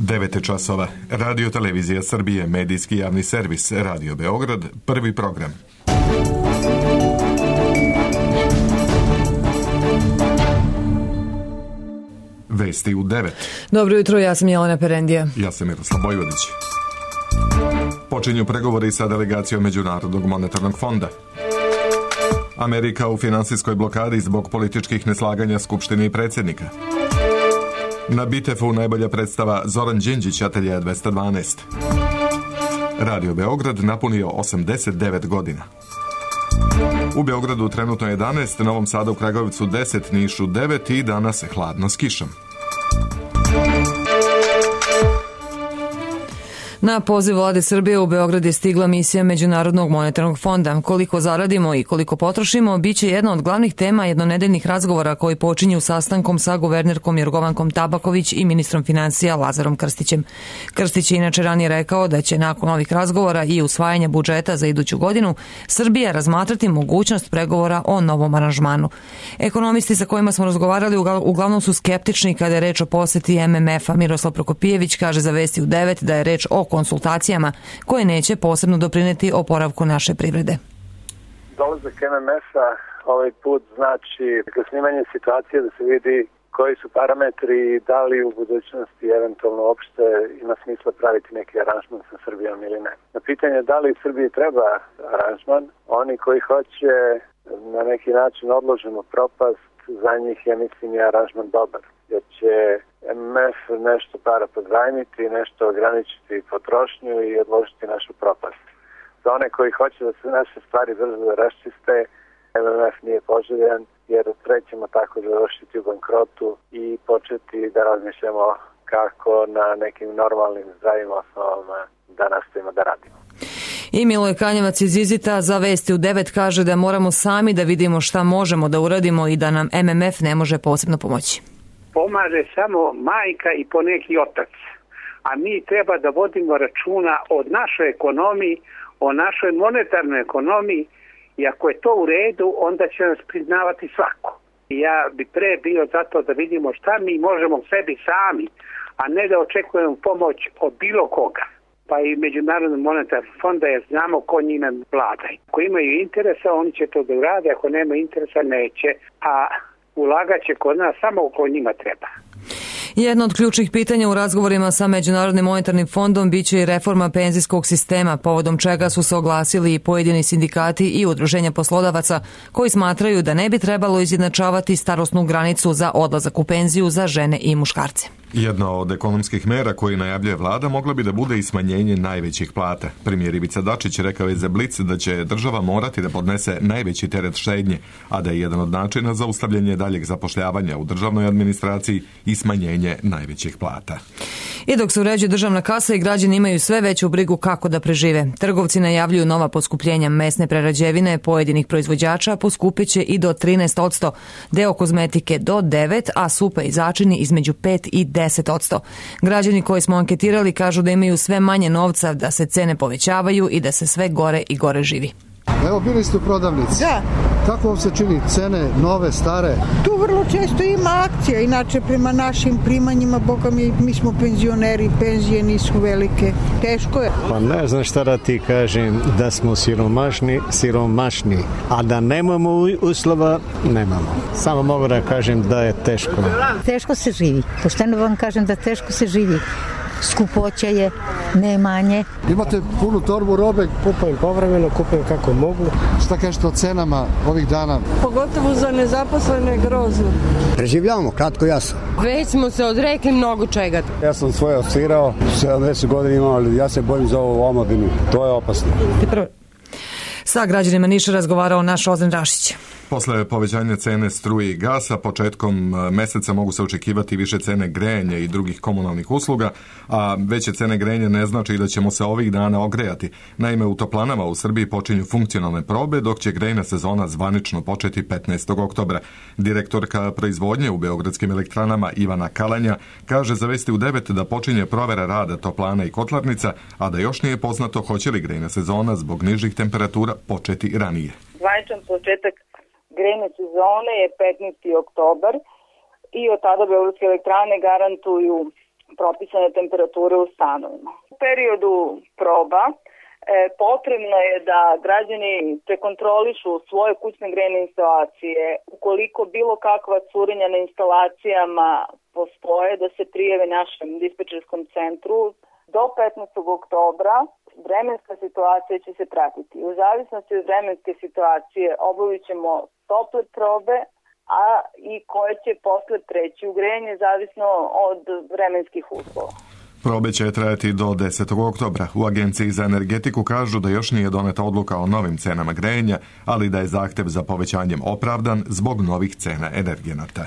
9 časova. Radio Televizija Srbije, medijski javni servis, Radio Beograd, prvi program. Vesti u 9. Dobro jutro, ja sam Jelena Perendija. Ja sam Miroslav Bojvodić. Počinju pregovori sa delegacijom Međunarodnog monetarnog fonda. Amerika u finansijskoj blokadi zbog političkih neslaganja Skupštine i predsjednika. Na BITEF-u najbolja predstava Zoran Đinđić, Atelje 212. Radio Beograd napunio 89 godina. U Beogradu trenutno 11, Novom Sadu u Kragujevcu 10, Nišu 9 i danas hladno s kišom. Na poziv Vlade Srbije u Beograd je stigla misija Međunarodnog monetarnog fonda. Koliko zaradimo i koliko potrošimo biće jedna od glavnih tema jednonedeljnih razgovora koji počinju sastankom sa guvernerkom Jorgovankom Tabaković i ministrom financija Lazarom Krstićem. Krstić je inače ranije rekao da će nakon ovih razgovora i usvajanja budžeta za iduću godinu Srbija razmatrati mogućnost pregovora o novom aranžmanu. Ekonomisti sa kojima smo razgovarali uglavnom su skeptični kada je reč o poseti MMF-a. Miroslav Prokopijević kaže za Vesti u 9 da je reč o konsultacijama koje neće posebno doprineti oporavku naše privrede. Dolazak MMF-a ovaj put znači snimanje situacije da se vidi koji su parametri i da li u budućnosti eventualno uopšte ima smisla praviti neki aranžman sa Srbijom ili ne. Na pitanje da li Srbiji treba aranžman, oni koji hoće na neki način odloženu propast, za njih ja mislim je aranžman dobar, jer će MMF nešto para pozajmiti, nešto ograničiti potrošnju i odložiti našu propast. Za one koji hoće da se naše stvari brzo da raščiste, MMF nije poželjan, jer trećemo tako završiti u bankrotu i početi da razmišljamo kako na nekim normalnim zdravim osnovama da nastavimo da radimo. I Miloje Kanjevac iz Izita za Vesti u 9 kaže da moramo sami da vidimo šta možemo da uradimo i da nam MMF ne može posebno pomoći. Pomaže samo majka i poneki otac, a mi treba da vodimo računa o našoj ekonomiji, o našoj monetarnoj ekonomiji i ako je to u redu, onda će nas priznavati svako. Ja bi pre bio zato da vidimo šta mi možemo sebi sami, a ne da očekujemo pomoć od bilo koga. Pa i Međunarodnog monetarnog fonda, jer znamo ko njima vlada. Ako imaju interesa, oni će to da urade, ako nema interesa, neće, a ulagat će kod nas samo ko njima treba. Jedno od ključnih pitanja u razgovorima sa Međunarodnim monetarnim fondom biće i reforma penzijskog sistema, povodom čega su se oglasili i pojedini sindikati i udruženja poslodavaca koji smatraju da ne bi trebalo izjednačavati starosnu granicu za odlazak u penziju za žene i muškarce. Jedna od ekonomskih mera koji najavljuje vlada mogla bi da bude i smanjenje najvećih plata. Premijer Ivica Dačić rekao je za Blic da će država morati da podnese najveći teret štednje, a da je jedan od načina zaustavljanje daljeg zapošljavanja u državnoj administraciji i smanjenje najvećih plata. I dok se uređuje državna kasa i građani imaju sve veću brigu kako da prežive. Trgovci najavljuju nova poskupljenja mesne prerađevine pojedinih proizvođača poskupeće i do 13%, deo kozmetike do 9%, a supe i začini između 5 i 10%. Građani koji smo anketirali kažu da imaju sve manje novca, da se cene povećavaju i da se sve gore i gore živi. Evo, bili ste u prodavnici. Da. Kako vam se čini cene, nove, stare? Tu vrlo često ima akcija, inače prema našim primanjima, boga mi smo penzioneri, penzije nisu velike, teško je. Pa ne znam šta da ti kažem, da smo siromašni, a da nemamo uslova, nemamo. Samo mogu da kažem da je teško. Teško se živi, pošteno vam kažem da teško se živi. Skupoća je, nemanje. Imate punu torbu robe? Kupujem povremeno, kupujem kako mogu. Šta kažete o cenama ovih dana? Pogotovo za nezaposlene grozno. Preživljavamo, kratko jasno. Već smo se odrekli mnogo čega. Ja sam svoje osvirao, 70 godina imam, ali ja se bojim za ovu omladinu. To je opasno. Sa građanima Niša razgovarao naš Ozren Rašić. Posle povećanja cene struje i gasa, početkom meseca mogu se očekivati više cene grejanja i drugih komunalnih usluga, a veće cene grejanja ne znači da ćemo se ovih dana ogrejati. Naime, u toplanama u Srbiji počinju funkcionalne probe, dok će grejna sezona zvanično početi 15. oktobra. Direktorka proizvodnje u Beogradskim elektranama Ivana Kalanja kaže za Vesti u 9 da počinje provera rada toplana i kotlarnica, a da još nije poznato hoće li grejna sezona zbog nižih temperatura početi ranije. Zvaničan početak grejne sezone je 15. oktobar i od tada Beogradske elektrane garantuju propisane temperature u stanovima. U periodu proba potrebno je da građani prekontrolišu svoje kućne grejne instalacije. Ukoliko bilo kakva curenja na instalacijama postoje, da se prijave našem dispečerskom centru. Do 15. oktobra vremenska situacija će se pratiti. U zavisnosti od vremenske situacije obavit ćemo tople probe, a i koje će posle preći u grejanje zavisno od vremenskih uslova. Probe će trajati do 10. oktobra. U Agenciji za energetiku kažu da još nije doneta odluka o novim cenama grejanja, ali da je zahtev za povećanjem opravdan zbog novih cena energenata.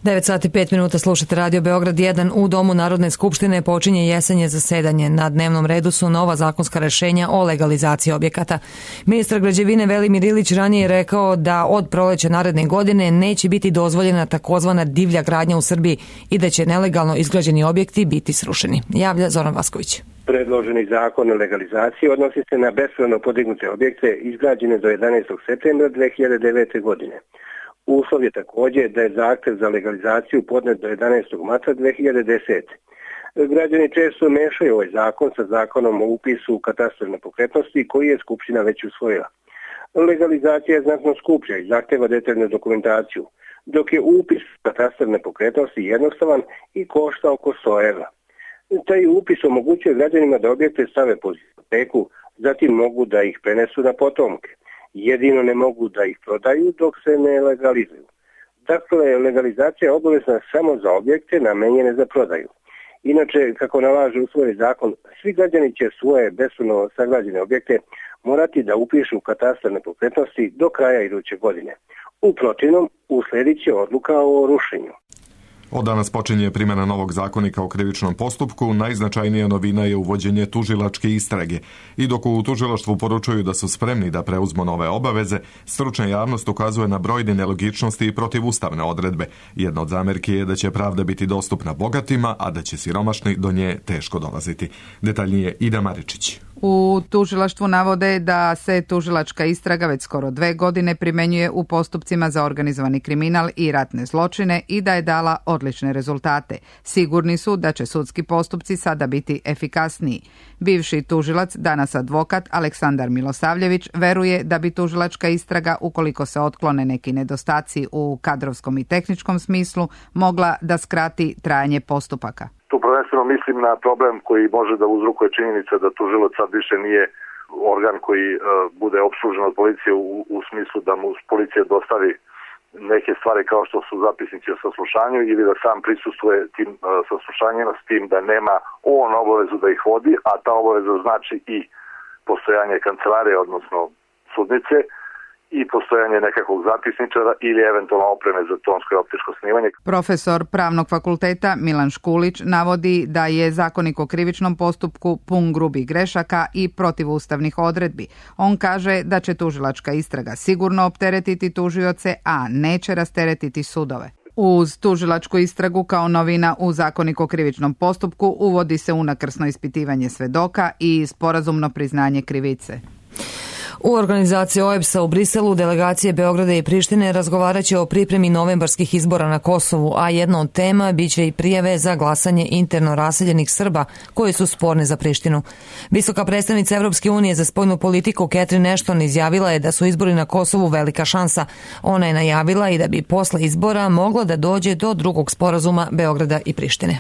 9 sati 5 minuta slušate Radio Beograd 1. U Domu Narodne skupštine počinje jesenje zasedanje. Na dnevnom redu su nova zakonska rešenja o legalizaciji objekata. Ministar građevine Velimir Ilić ranije je rekao da od proleća naredne godine neće biti dozvoljena takozvana divlja gradnja u Srbiji i da će nelegalno izgrađeni objekti biti srušeni. Javlja Zoran Vasković. Predloženi zakon o legalizaciji odnosi se na bespravno podignute objekte izgrađene do 11. septembra 2009. godine. Uslov je također da je zahtev za legalizaciju podnet do 11. marta 2010. Građani često mešaju ovaj zakon sa zakonom o upisu u katastar nepokretnosti koji je Skupština već usvojila. Legalizacija je znatno skuplja i zahteva detaljnu dokumentaciju, dok je upis u katastar nepokretnosti jednostavan i košta oko 100 evra. Taj upis omogućuje građanima da objekte stave pod hipoteku, zatim mogu da ih prenesu na potomke. Jedino ne mogu da ih prodaju dok se ne legalizuju. Dakle, legalizacija je obavezna samo za objekte namenjene za prodaju. Inače, kako nalaže usvojen zakon, svi građani će svoje bespravno sagrađene objekte morati da upišu u katastar nepokretnosti do kraja iduće godine. U protivnom, usledit će odluka o rušenju. Od danas počinje primjena novog zakonika o krivičnom postupku. Najznačajnija novina je uvođenje tužilačke istrage. I dok u tužilaštvu poručuju da su spremni da preuzmu nove obaveze, stručna javnost ukazuje na brojne nelogičnosti i protivustavne odredbe. Jedna od zamerki je da će pravda biti dostupna bogatima, a da će siromašni do nje teško dolaziti. Detaljnije Ida Maričić. U tužilaštvu navode da se tužilačka istraga već skoro 2 godine primenjuje u postupcima za organizovani kriminal i ratne zločine i da je dala odlične rezultate. Sigurni su da će sudski postupci sada biti efikasniji. Bivši tužilac, danas advokat Aleksandar Milosavljević, veruje da bi tužilačka istraga, ukoliko se otklone neki nedostaci u kadrovskom i tehničkom smislu, mogla da skrati trajanje postupaka. Tu prvenstveno mislim na problem koji može da uzrokuje činjenica da tužilac sad više nije organ koji bude opslužen od policije u smislu da mu policija dostavi neke stvari kao što su zapisnici o saslušanju ili da sam prisustvuje tim saslušanjima s tim da nema on obavezu da ih vodi, a ta obaveza znači i postojanje kancelarije, odnosno sudnice, i postojanje nekakvog zapisničara ili eventualno opreme za tonsko i optičko snimanje. Profesor Pravnog fakulteta Milan Škulić navodi da je zakonik o krivičnom postupku pun grubih grešaka i protivustavnih odredbi. On kaže da će tužilačka istraga sigurno opteretiti tužioce, a neće rasteretiti sudove. Uz tužilačku istragu kao novina u zakonik o krivičnom postupku uvodi se unakrsno ispitivanje svedoka i sporazumno priznanje krivice. U organizaciji OEBS-a u Briselu delegacije Beograda i Prištine razgovarat će o pripremi novembarskih izbora na Kosovu, a jedna od tema biće i prijave za glasanje interno raseljenih Srba koji su sporne za Prištinu. Visoka predstavnica Evropske unije za spoljnu politiku Catherine Ashton izjavila je da su izbori na Kosovu velika šansa. Ona je najavila i da bi posle izbora moglo da dođe do drugog sporazuma Beograda i Prištine.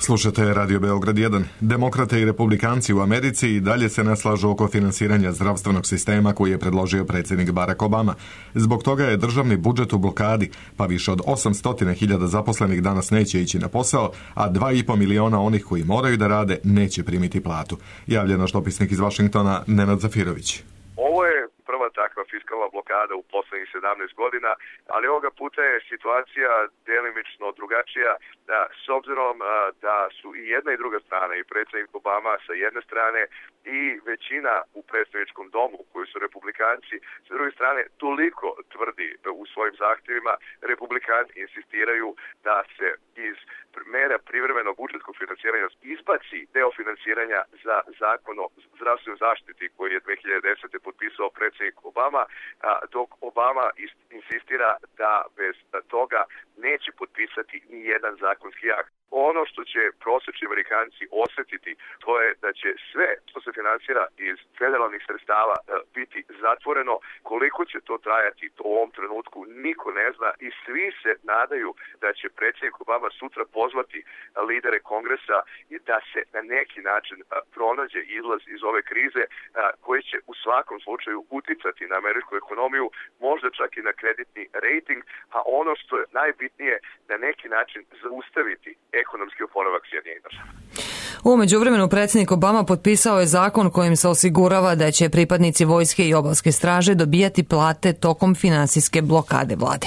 Slušate Radio Beograd 1. Demokrate i republikanci u Americi i dalje se ne slažu oko finansiranja zdravstvenog sistema koji je predložio predsjednik Barack Obama. Zbog toga je državni budžet u blokadi, pa više od 800.000 zaposlenih danas neće ići na posao, a 2,5 miliona onih koji moraju da rade neće primiti platu. Javlja naš dopisnik iz Vašingtona Nenad Zafirović. Ovo je prva takva fiskalna blokada u poslednjih 17 godina, ali ovoga puta je situacija delimično drugačija, s obzirom da su i jedna i druga strana, i predsjednik Obama sa jedne strane i većina u predstavničkom domu koji su republikanci, sa druge strane toliko tvrdi u svojim zahtjevima, republikanci insistiraju da se iz mera privremenog budžetskog finansiranja izbaci deo finansiranja za zakon o zdravstvenoj zaštiti koji je 2010. potpisao predsjednik Obama, dok Obama insistira da bez toga neće potpisati ni jedan zakonski akt. Ono što će prosječni Amerikanci osjetiti, to je da će sve što se finansira iz federalnih sredstava biti zatvoreno. Koliko će to trajati, to u ovom trenutku niko ne zna i svi se nadaju da će predsjednik Obama sutra pozvati lidere Kongresa i da se na neki način pronađe izlaz iz ove krize koji će u svakom slučaju uticati na američku ekonomiju, možda čak i na kreditni rating, a ono što je najbitnije na neki način zaustaviti ekonomski oporavak Sjedinjenih Država. U međuvremenu predsjednik Obama potpisao je zakon kojim se osigurava da će pripadnici vojske i obalske straže dobijati plate tokom finansijske blokade vlade.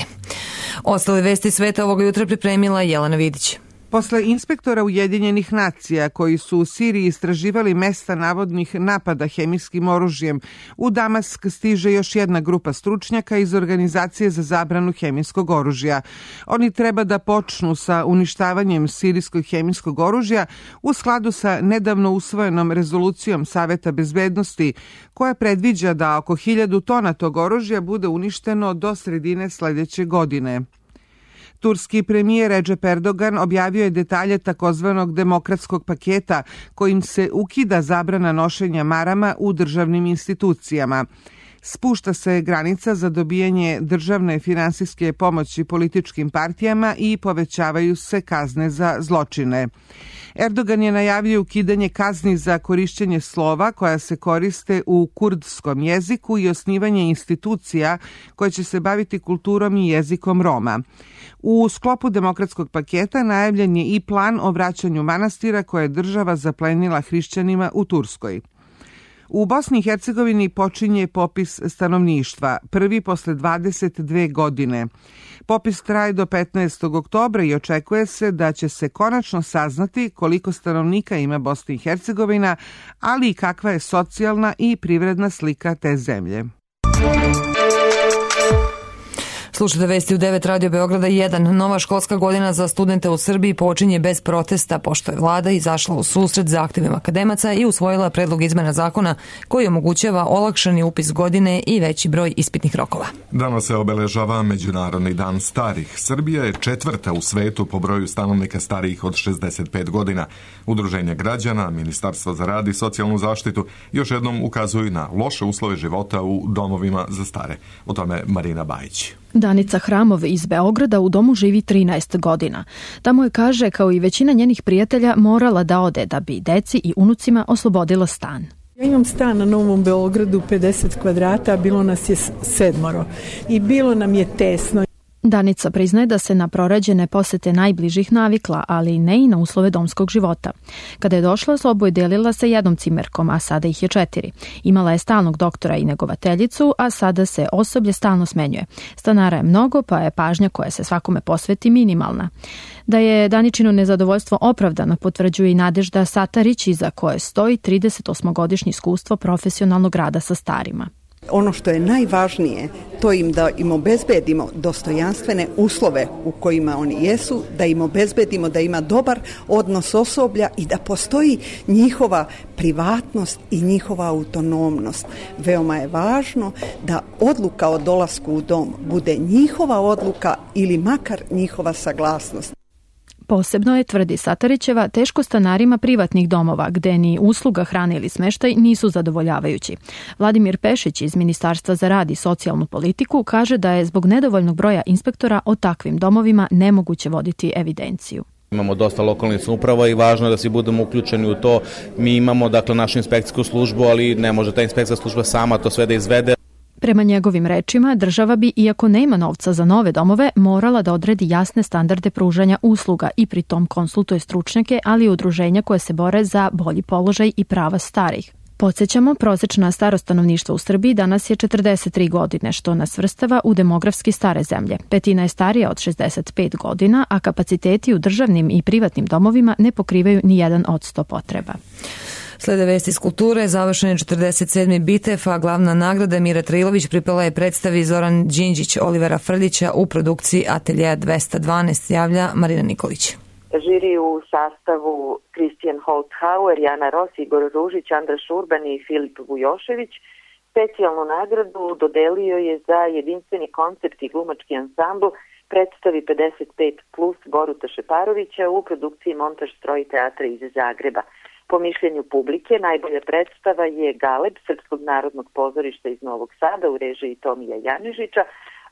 Ostale vesti sveta ovog jutra pripremila Jelena Vidić. Posle inspektora Ujedinjenih nacija koji su u Siriji istraživali mesta navodnih napada hemijskim oružjem, u Damask stiže još jedna grupa stručnjaka iz Organizacije za zabranu hemijskog oružja. Oni treba da počnu sa uništavanjem sirijskog hemijskog oružja u skladu sa nedavno usvojenom rezolucijom Saveta bezbednosti koja predviđa da oko 1000 tona tog oružja bude uništeno do sredine sledeće godine. Turski premijer Recep Erdogan objavio je detalje takozvanog demokratskog paketa kojim se ukida zabrana nošenja marama u državnim institucijama. Spušta se granica za dobijanje državne finansijske pomoći političkim partijama i povećavaju se kazne za zločine. Erdogan je najavio ukidanje kazni za korišćenje slova koja se koriste u kurdskom jeziku i osnivanje institucija koje će se baviti kulturom i jezikom Roma. U sklopu demokratskog paketa najavljen je i plan o vraćanju manastira koje je država zaplenila hrišćanima u Turskoj. U Bosni i Hercegovini počinje popis stanovništva, prvi posle 22 godine. Popis traje do 15. oktobra i očekuje se da će se konačno saznati koliko stanovnika ima Bosna i Hercegovina, ali i kakva je socijalna i privredna slika te zemlje. Slušajte vesti u 9 Radio Beograda 1. Nova školska godina za studente u Srbiji počinje bez protesta, pošto je vlada izašla u susret zahtevima akademaca i usvojila predlog izmena zakona koji omogućava olakšani upis godine i veći broj ispitnih rokova. Danas se obeležava Međunarodni dan starih. Srbija je 4. u svetu po broju stanovnika starijih od 65 godina. Udruženje građana, Ministarstvo za rad i socijalnu zaštitu još jednom ukazuju na loše uslove života u domovima za stare. O tome Marina Bajić. Danica Hramov iz Beograda u domu živi 13 godina. Tamo je, kaže, kao i većina njenih prijatelja, morala da ode da bi deci i unucima oslobodila stan. Ja imam stan na Novom Beogradu, 50 kvadrata, bilo nas je 7 i bilo nam je tesno. Danica priznaje da se na prorađene posete najbližih navikla, ali ne i na uslove domskog života. Kada je došla, sobu je delila sa jednom cimerkom, a sada ih je 4. Imala je stalnog doktora i negovateljicu, a sada se osoblje stalno smenjuje. Stanara je mnogo, pa je pažnja koja se svakome posveti minimalna. Da je Daničino nezadovoljstvo opravdano potvrđuje i Nadežda Satarić, iza koje stoji 38-godišnje iskustvo profesionalnog rada sa starima. Ono što je najvažnije, to im da im obezbedimo dostojanstvene uslove u kojima oni jesu, da im obezbedimo da ima dobar odnos osoblja i da postoji njihova privatnost i njihova autonomnost. Veoma je važno da odluka o dolasku u dom bude njihova odluka ili makar njihova saglasnost. Posebno je, tvrdi Satarićeva, teško stanarima privatnih domova, gde ni usluga hrane ili smeštaj nisu zadovoljavajući. Vladimir Pešić iz Ministarstva za rad i socijalnu politiku kaže da je zbog nedovoljnog broja inspektora o takvim domovima nemoguće voditi evidenciju. Imamo dosta lokalnih samouprava i važno je da svi budemo uključeni u to. Mi imamo, dakle, našu inspekcijsku službu, ali ne može ta inspekcijska služba sama to sve da izvede. Prema njegovim rečima, država bi, iako nema novca za nove domove, morala da odredi jasne standarde pružanja usluga i pritom konsultuje stručnjake, ali i udruženja koje se bore za bolji položaj i prava starih. Podsjećamo, prosečna starost stanovništva u Srbiji danas je 43 godine, što nas svrstava u demografski stare zemlje. Petina je starija od 65 godina, a kapaciteti u državnim i privatnim domovima ne pokrivaju ni 1% potreba. Slede vesti iz kulture, završen je 47. Bitev, a glavna nagrada Mira Trilović pripala je predstavi Zoran Đinđić, Olivera Frljića u produkciji Ateljeja 212, javlja Marina Nikolić. Žiri u sastavu Kristijan Holtzhauer, Jana Ros, Igor Ružić, Andra Šurban i Filip Vujošević Specijalnu nagradu dodelio je za jedinstveni koncept i glumački ansambl predstavi 55 plus Boruta Šeparovića u produkciji Montaž stroj teatra iz Zagreba. Po mišljenju publike, najbolja predstava je Galeb Srpskog narodnog pozorišta iz Novog Sada u režiji Tomija Janižića,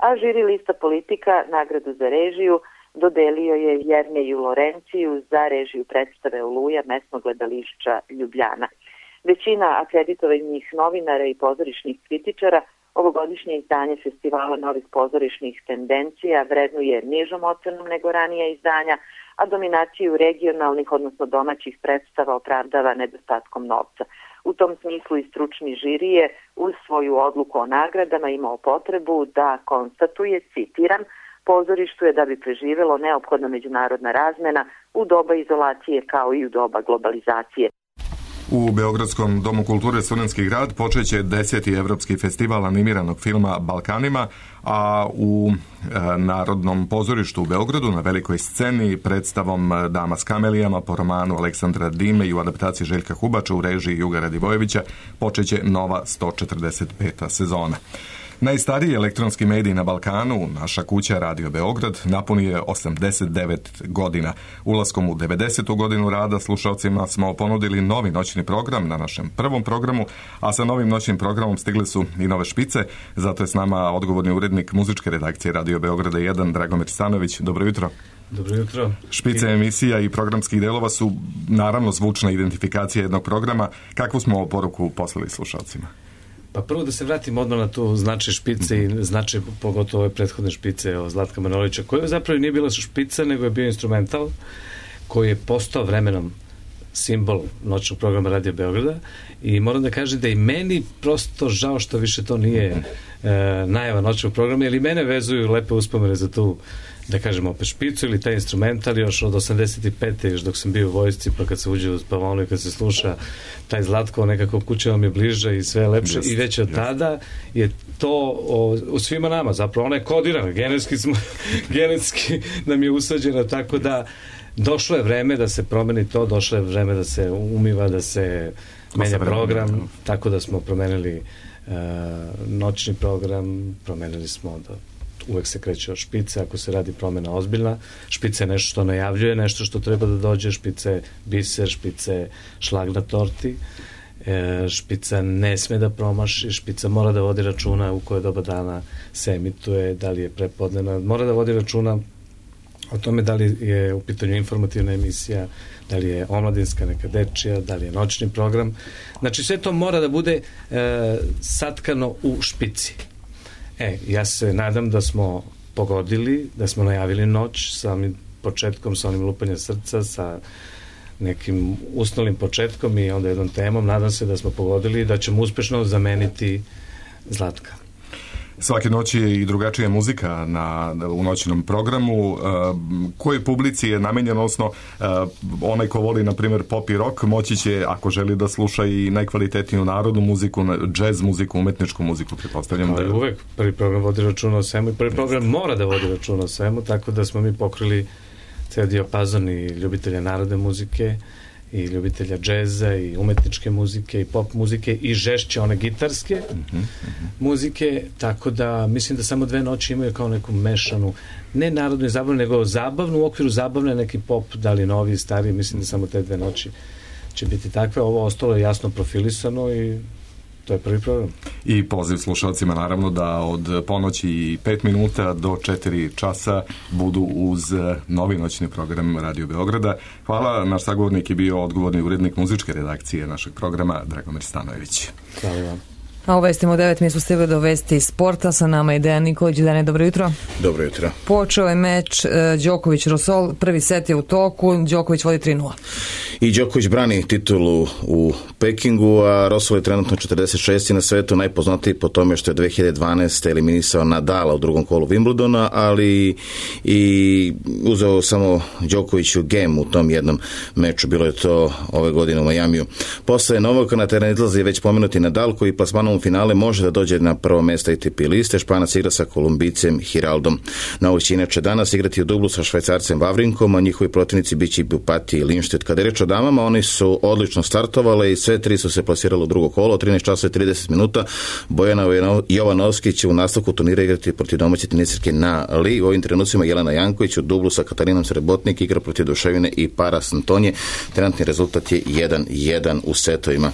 a žiri lista Politika nagradu za režiju dodelio je Jerneju Lorenciju za režiju predstave Oluja mesnog gledališća Ljubljana. Većina akreditovanih novinara i pozorišnih kritičara ovogodišnje izdanje festivala novih pozorišnih tendencija vrednuje nižom ocenom nego ranija izdanja, a dominaciju regionalnih, odnosno domaćih predstava opravdava nedostatkom novca. U tom smislu i stručni žiri je uz svoju odluku o nagradama imao potrebu da konstatuje, citiram, pozorištu je da bi preživelo neophodna međunarodna razmena u doba izolacije kao i u doba globalizacije. U Beogradskom domu kulture Studentski grad počeće 10. Evropski festival animiranog filma Balkanima, a u Narodnom pozorištu u Beogradu na velikoj sceni predstavom Dama s kamelijama po romanu Aleksandra Dime i u adaptaciji Željka Hubača u režiji Juga Radivojevića počeće nova 145. sezona. Najstariji elektronski medij na Balkanu, naša kuća Radio Beograd, napunio je 89 godina. Ulaskom u 90. godinu rada slušalcima smo ponudili novi noćni program na našem prvom programu, a sa novim noćnim programom stigle su i nove špice. Zato je s nama odgovorni urednik muzičke redakcije Radio Beograda 1, Dragomir Stanović. Dobro jutro. Dobro jutro. Špice emisija i programskih delova su naravno zvučna identifikacija jednog programa. Kakvu smo poruku poslali slušalcima? Pa prvo da se vratim odmah na tu značaj špice i značaj pogotovo ove prethodne špice o Zlatka Manojlovića, koja zapravo nije bila špica, nego je bio instrumental koji je postao vremenom simbol noćnog programa Radio Beograda i moram da kažem da i meni prosto žao što više to nije najava noćnog programa, jer i mene vezuju lepe uspomene za tu, da kažem, opet špicu ili taj instrumental još od 85. još dok sam bio u vojsci, pa kad se uđe u spavonu i kad se sluša taj Zlatko, nekako kuća vam je bliže i sve je lepše i već od tada je to u svima nama, zapravo ona je kodirana, genetski nam je usađena, tako da došlo je vreme da se promeni to, došlo je vreme da se umiva, da se menja program, tako da smo promenili noćni program, promenili smo da uvek se kreće od špice, ako se radi promena ozbiljna. Špica je nešto što najavljuje, nešto što treba da dođe, špica je biser, špica je šlag na torti, špica ne sme da promaši, špica mora da vodi računa u koje doba dana se emituje, da li je prepodnevna, mora da vodi računa o tome da li je u pitanju informativna emisija, da li je omladinska, neka dečija, da li je noćni program. Znači sve to mora da bude satkano u špici. Ja se nadam da smo pogodili, da smo najavili noć sa onim početkom, sa onim lupanjem srca, sa nekim usnolim početkom i onda jednom temom. Nadam se da smo pogodili i da ćemo uspešno zameniti Zlatka. Svake noći je i drugačija muzika u noćnom programu. Kojoj publici je namenjeno, odnosno onaj ko voli, na primjer, pop i rock, moći će, ako želi da sluša i najkvalitetniju narodnu muziku, džez muziku, umetničku muziku, pretpostavljam. Ali uvek prvi program vodi računa o svemu i prvi program mora da vodi računa o svemu, tako da smo mi pokrili ceo dijapazon i ljubitelja narodne muzike i ljubitelja džeza i umetničke muzike i pop muzike i žešće one gitarske muzike, tako da mislim da samo 2 noći imaju kao neku mešanu, ne narodnu i zabavnu, nego zabavnu, u okviru zabavne neki pop, da li novi, stari, mislim da samo te 2 noći će biti takve. Ovo ostalo je jasno profilisano i to je prvi program. I poziv slušalcima naravno da od ponoći i 5 minuta do 4 časa budu uz novi noćni program Radio Beograda. Hvala, naš sagovornik je bio odgovorni urednik muzičke redakcije našeg programa Dragomir Stanojević. Hvala vam. A u vestima u 9 mi smo stigli do vesti sporta, sa nama je Dejan Nikolić. Dejane, dobro jutro. Dobro jutro. Počeo je meč Đoković-Rosol, prvi set je u toku, Đoković vodi 3-0. I Đoković brani titulu u Pekingu, a Rosol je trenutno 46. na svetu, najpoznatiji po tome što je 2012. eliminisao Nadala u drugom kolu Wimbledona, ali i uzeo samo Đokoviću gem u tom jednom meču, bilo je to ove godine u Majamiju. Posle Novaka na teren izlazi već pomenuti Nadal, koji plasmanom slamu finale može da dođe na prvo mjesto ATP liste. Španac igra sa Kolumbijcem Hiraldom. Novi će inače danas igrati u dublu sa Švajcarcem Vavrinkom, a njihovi protivnici biće Bupati i Lindstedt. Kada je reč o damama, oni su odlično startovale i sve tri su se plasirale u drugo kolo. 13 časa i 30 minuta. Bojana Jovanovski će u nastavku turnira igrati protiv domaće tenisirke Na Li. U ovim trenucima Jelena Janković u dublu sa Katarinom Srebotnik igra protiv Duševine i Paras Antonije. Trenutni rezultat je 1-1 u setovima.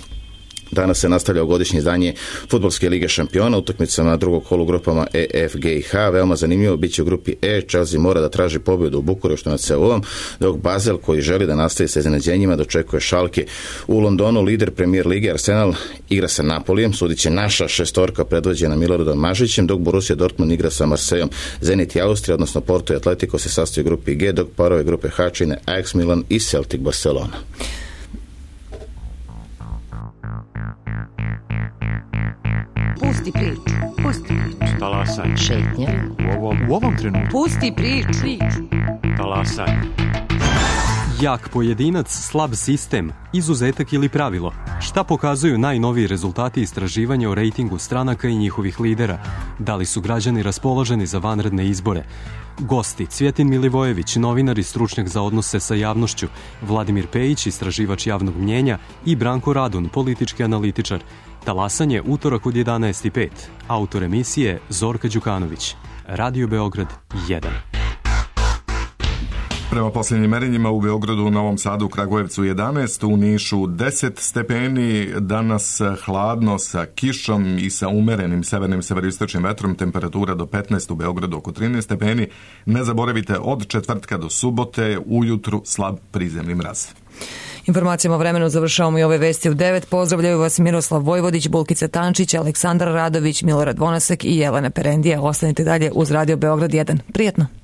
Danas se nastavlja godišnje izdanje Fudbalske lige šampiona utakmicama na drugog kolu grupama E, F, G i H. Veoma zanimljivo biće u grupi E. Chelsea mora da traži pobjedu u Bukureštu nad Seulom, dok Basel, koji želi da nastavi sa iznenađenjima, dočekuje Schalke. U Londonu lider Premier lige Arsenal igra sa Napolijem, sudit će naša šestorka predvođena Miloradom Mažićem, dok Borussia Dortmund igra sa Marsejom. Zenit i Austrija, odnosno Porto i Atletico se sastoji u grupi G, dok parove grupe H čine Ajax Milan i Celtic Barcelona. Pusti priču. Pusti priču. Talasaj. Šetnja. U ovom trenutku. Pusti priču. Talasaj. Jak pojedinac, slab sistem, izuzetak ili pravilo. Šta pokazuju najnoviji rezultati istraživanja o rejtingu stranaka i njihovih lidera? Da li su građani raspoloženi za vanredne izbore? Gosti: Cvjetin Milivojević, novinar i stručnjak za odnose sa javnošću, Vladimir Pejić, istraživač javnog mnjenja i Branko Radun, politički analitičar. Talasanje utorak od 11:05. Autor emisije Zorka Đukanović. Radio Beograd 1. Prema posljednjim merenjima u Beogradu, Novom Sadu, Kragujevcu 11, u Nišu 10 stepeni, danas hladno sa kišom i sa umerenim severnim severoistočnim vetrom, temperatura do 15, u Beogradu oko 13 stepeni. Ne zaboravite, od četvrtka do subote ujutru slab prizemni mraz. Informacijama o vremenu završavamo i ove vesti u 9. Pozdravljaju vas Miroslav Vojvodić, Bulkica Tančić, Aleksandar Radović, Milorad Vonasek i Jelena Perendija. Ostanite dalje uz Radio Beograd 1. Prijetno!